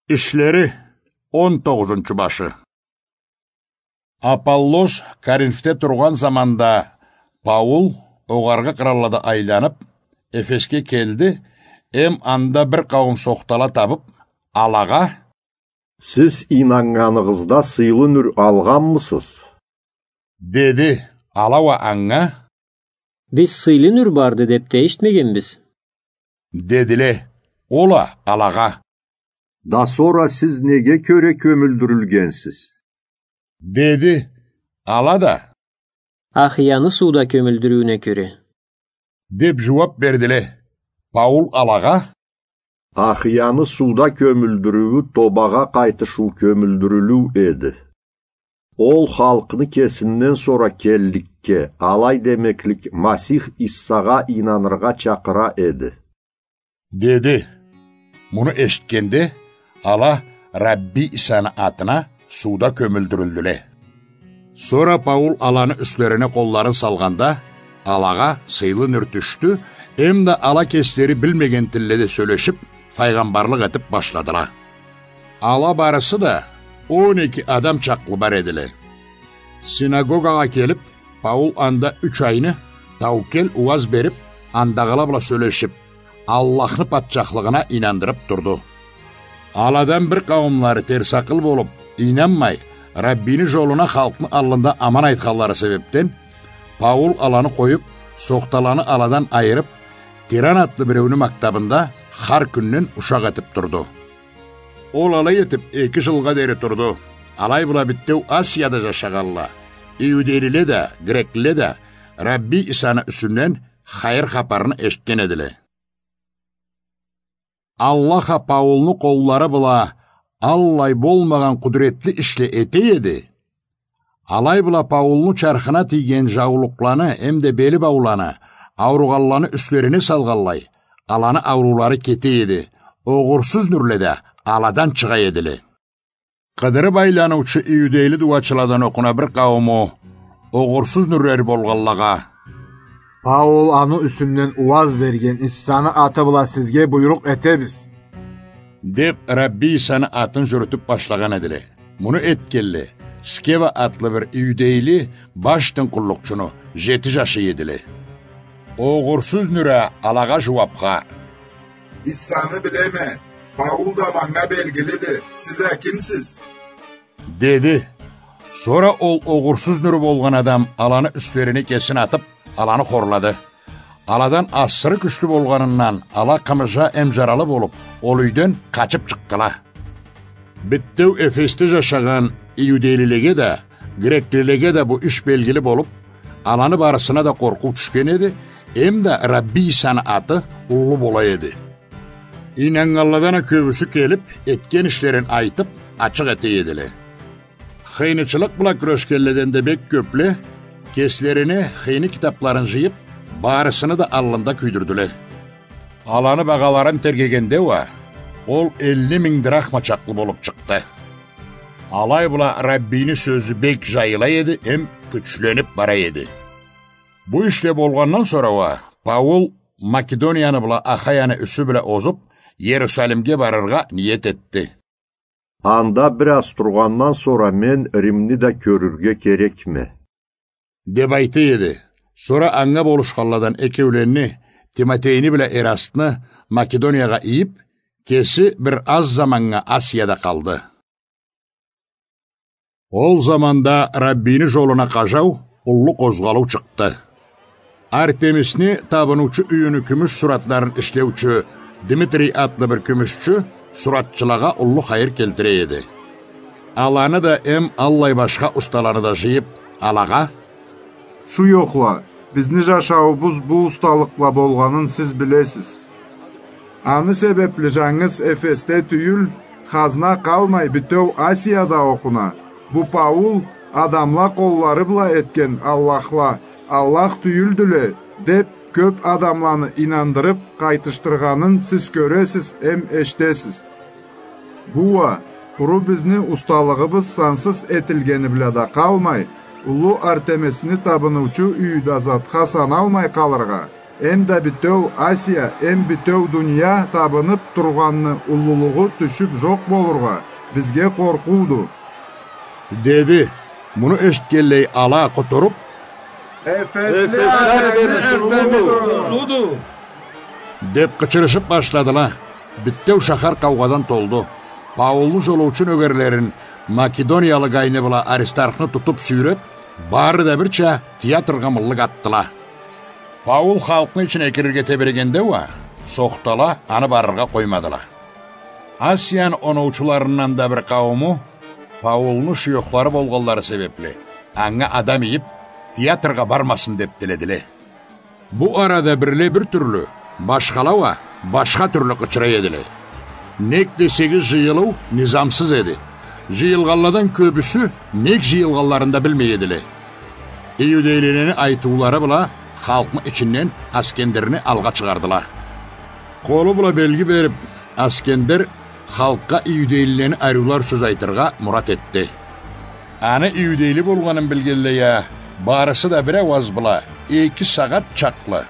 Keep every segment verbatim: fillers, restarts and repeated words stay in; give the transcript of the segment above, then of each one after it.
Ишлери, он тогъузунчу башы. Аполлос Коринфде тургъан заманда Паул огъаргъы къыраллада айланып, Эфесге келди, эм анда бир къауум сохтала табып, алагъа: «Сиз ийнаннганыгъызда сыйлы нюр алгъанмысыз?» — деди. Ала уа анга: «Биз сыйлы нюр барды деп да эшитмегенбиз», — дедиле. Ол а алагъа: «Да сора сиз неге кёре кёмюлдюрюлгенсиз?» — деди. Ала да: «Ахияны сууда кёмюлдюрюуюне кёре», — деп жууап бердиле. Паул алагъа: «Ахияны сууда кёмюлдюрюую тобагъа къайтышыу кёмюлдюрюлюу эди. Ол халкъны кесинден сора келликге, алай демеклик, Масих Иссагъа ийнаныргъа чакъыра эди», — деди. Муну эшитгенде, ала Рабби Исаны атына сууда кёмюлдюрюлдюле. Сора Паул аланы юслерине къолларын салгъанда, алагъа сыйлы нюр тюшдю, эм да ала кеслери билмеген тилледе сёлешип, файгъамбарлыкъ этип башладыла. Ала барысы да он эки адам чакълы бар эдиле. Синагогагъа келип, Паул анда юч айны таукел ууаз берип, андагъыла бла сёлешип, Аллахны патчахлыгъына ийнандырып турду. Аладан бир къауумлары терс акъыл болуп, ийнанмай, Раббини жолуна халкъны аллында аман айтханлары себепден, Паул аланы къоюп, сохталаны аладан айырып, Тиран атлы биреуню мактабында хар кюнден ушакъ этип турду. Ол алай этип эки жылгъа дери турду. Алай бла битеу Асияда жашагъанла, иудейлиле да, греклиле да, Рабби Исаны юсюнден хайыр хапарны эшитген эдиле. Аллах а Паулну къоллары бла аллай болмагъан къудуретли ишле эте эди. Алай бла Паулну чархына тийген жаулукъланы эмда бели бауланы ауругъанланы юслерине салгъанлай, аланы ауруулары кете эди, огъурсуз нюрле да аладан чыгъа эдиле. Къыдырып айланыучу иудейли дуачыладан окъуна бир къаууму огъурсуз нюрлери болгъанлагъа: «Паул аны юсюнден ууаз берген Иссаны аты бла сизге буйрукъ этебиз», — деп, Рабби Исаны атын жюрютюп башлагъан эдиле. Муну этгенле Скева атлы бир иудейли баш дин къуллукъчуну жети жашы эдиле. Огъурсуз нюр а алагъа жууапха: «Иссаны билеме, Паул да манга белгилиди, сиз а кимсиз?» — деди. Сора ол огъурсуз нюрю болгъан адам аланы юслерине кесин атып, аланы хорлады. Аладан асыры кючлю болгъанындан ала къымыжа эм жаралы болуп, ол юйден къачып чыкъдыла. Битеу Эфесде жашагъан иудейлилеге да, греклилеге да бу иш белгили болуп, аланы барысына да къоркъуу тюшген эди, эмда Рабби Исаны аты уллу бола эди. Ийнаннганладан а кёбюсю келип, этген ишлерин айтып, ачыкъ эте эдиле. Хыйнычылыкъ бла кюрешгенледен да бек кёпле, кеслерине хыйны китапларын жыйып, барысыны да аллында кюйдюрдюле. Аланы багъаларын тергегенде уа, ол элли минг драхма чакълы болуп чыкъды. Алай бла Раббини сёзю бек жайыла эди эм кючленип бара эди. Бу ишле болгъандан сора уа Паул Македонияны бла Ахаяны юсю бла озуп, Иерусалимге барыргъа ниет этди. «Анда бир аз тургъандан сора мен Римни да кёрюрге керекме», — деп айта эди. Сора анга болушханладан экеуленни, Тимотейни бла Эрастны, Македониягъа ийип, кеси бир аз заманнга Асияда къалды. Ол заманда Раббини жолуна къажау, уллу къозгъалыу чыкъды. Артемисни табыныучу юйюню кюмюш суратларын ишлеучю Дмитрий атлы бир кюмюшчю суратчылагъа уллу хайыр келтире эди. Аланы да эм аллай башха усталаны да жыйып, алагъа: «Шу ёхла, бизни жашауубуз бу усталыкъ бла болгъанын сиз билесиз. Аны себепли жангыз Эфесде тюйюл, хазна къалмай битеу Асияда окъуна, бу Паул адамла къоллары бла этген аллахла Аллах тюйюлдюле деп, кёп адамланы ийнандырып къайтышдыргъанын сиз кёресиз эм эшитесиз. Бу уа къуру бизни усталыгъыбыз сансыз этилгени бла да къалмай, уллу Артемисни табыныучу юйю да затха саналмай къалыргъа, Эм да битеу Асия, эм битеу дуния табынып тургъанны уллулугъу тюшюп жокъ болургъа, бизге къоркъууду. Деди. Муну эшитгенлей, ала къутуруп: «Эфесли Артемис уллуду!» — деп къычырышып башладыла. Битеу шахар къаугъадан толду. Паулну жолоучу нёгерлерин, македониялы Гайны бла Аристархны тутуп сюйреп, бары да бирча театргъа мыллык атдыла. Паул халкъны ичине кирирге тебирегенде уа, сохтала аны барыргъа къоймадыла. Асияны оноучуларындан да бир къаууму, Паулну шуёхлары болгъанлары себепли, анга адам ийип, театргъа бармасын деп тиледиле. Бу арада бирле бир тюрлю, башхала уа башха тюрлю къычыра эдиле. Нек десегиз, жыйылыу низамсыз эди. Жыйылгъанладан кёбюсю нек жыйылгъанларын да билмей эдиле. Иудейлилени айтыулары бла халкъны ичинден Аскендерни алгъа чыгъардыла. Къолу бла белги берип, Аскендер халкъгъа иудейлилени ариулар сёз айтыргъа мурат этди. Аны иудейли болгъанын билгенлей а, барысы да бир ауаз бла эки сагъат чакълы: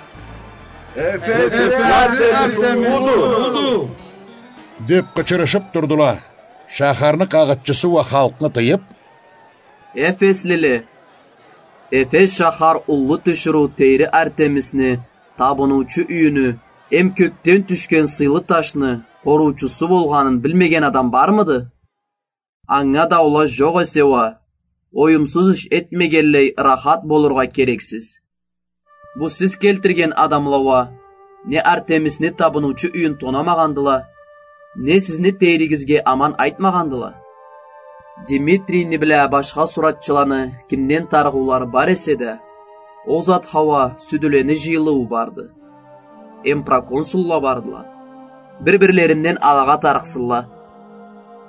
«Эфесли Артемис уллуду!» — деп къычырышып турдула. Шахарны къагъытчысы уа халкъны тыйып: «Эфеслиле, Эфес шахар уллу тиширыу тейри Артемисни табыныучу юйюню эм кёкден тюшген сыйлы ташны къоруучусу болгъанын билмеген адам бармыды? Анга даула жокъ эсе уа, оюмсуз иш этмегенлей ырахат болургъа керексиз. Бу сиз келтирген адамла уа не Артемисни табыныучу юйюн тонамагъандыла, не сизни тейригизге аман айтмагъандыла. Димитрийни бла башха суратчыланы кимден тарыгъыулары бар эсе да, ол затха уа сюдюлени жыйылыуу барды. Эм проконсулла бардыла. Бир-бирлеринден алагъа тарыкъсынла.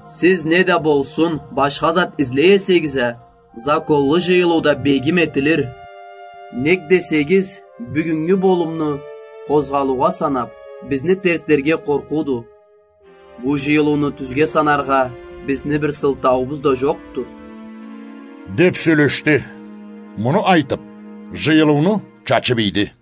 Сиз не да болсун башха зат излей эсегиз а, законлу жыйылыуда бегим этилир. Нек десегиз, бюгюннгю болумну къозгъалыугъа санап, бизни терслерге къоркъууду. Бу жыйылыуну тюзге санаргъа бизни бир сылтауубуз да жокъду», — деп сёлешди. Муну айтып, жыйылыуну чачып ийди.